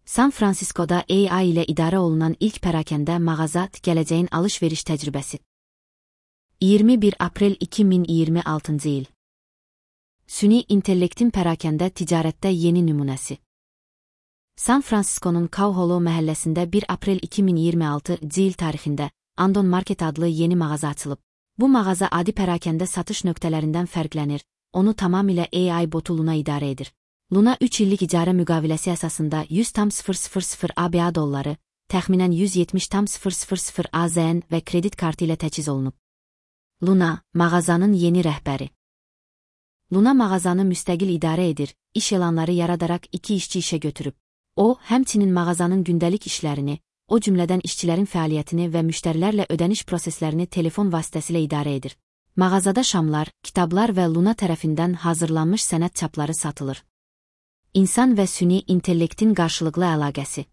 San Francisco'da AI ilə idarə olunan ilk pərakəndə mağaza gələcəyin alış-veriş təcrübəsi. 21 aprel 2026-cı il. Süni intellektin pərakəndə ticarətdə yeni nümunəsi. San Francisco'nun Cow-Hollow məhəlləsində 1 aprel 2026-cı il tarixində Andon Market adlı yeni mağaza açılıb. Bu mağaza adi pərakəndə satış nöqtələrindən fərqlənir, onu tamamilə AI botu Luna idarə edir. Luna 3 illik icarə müqaviləsi əsasında 100,000 ABA dolları, təxminən 170,000 AZN və kredit kartı ilə təchiz olunub. Luna, mağazanın yeni rəhbəri. Luna mağazanı müstəqil idarə edir, iş elanları yaradaraq 2 işçi işə götürüb. O, həmçinin mağazanın gündəlik işlərini, o cümlədən işçilərin fəaliyyətini və müştərilərlə ödəniş proseslərini telefon vasitəsilə idarə edir. Mağazada şamlar, kitablar və Luna tərəfindən hazırlanmış sənət çapları satılır. İnsan və süni intellektin qarşılıqlı əlaqəsi.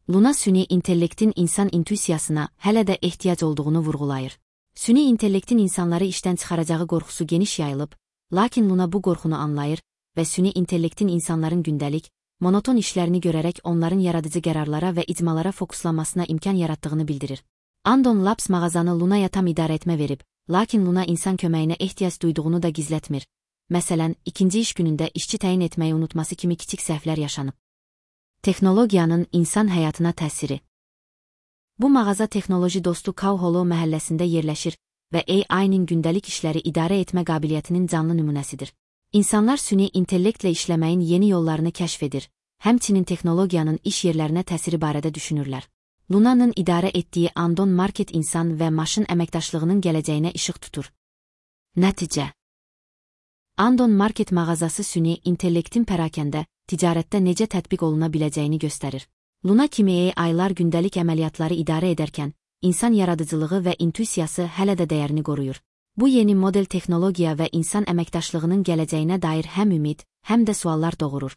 Luna süni intellektin insan intuisiyasına hələ də ehtiyac olduğunu vurğulayır. Süni intellektin insanları işdən çıxaracağı qorxusu geniş yayılıb, lakin Luna bu qorxunu anlayır və süni intellektin insanların gündəlik, monoton işlərini görərək onların yaradıcı qərarlara və icmalara fokuslanmasına imkan yaratdığını bildirir. Andon Labs mağazanı Luna'ya tam idarə etmə verib, lakin Luna insan köməyinə ehtiyac duyduğunu da gizlətmir. Məsələn, ikinci iş günündə işçi təyin etməyi unutması kimi kiçik səhvlər yaşanıb. Texnologiyanın insan həyatına təsiri. Bu mağaza texnoloji dostu Cow-Hollow məhəlləsində yerləşir və AI-nin gündəlik işləri idarə etmə qabiliyyətinin canlı nümunəsidir. İnsanlar süni intellektlə işləməyin yeni yollarını kəşf edir, həmçinin texnologiyanın iş yerlərinə təsiri barədə düşünürlər. Luna'nın idarə etdiyi Andon Market insan və maşın əməkdaşlığının gələcəyinə işıq tutur. Nəticə. Andon Market mağazası süni intellektin pərakəndə, ticarətdə necə tətbiq oluna biləcəyini göstərir. Luna kimi AI-lar gündəlik əməliyyatları idarə edərkən, insan yaradıcılığı və intuisiyası hələ də dəyərini qoruyur. Bu yeni model texnologiya və insan əməkdaşlığının gələcəyinə dair həm ümid, həm də suallar doğurur.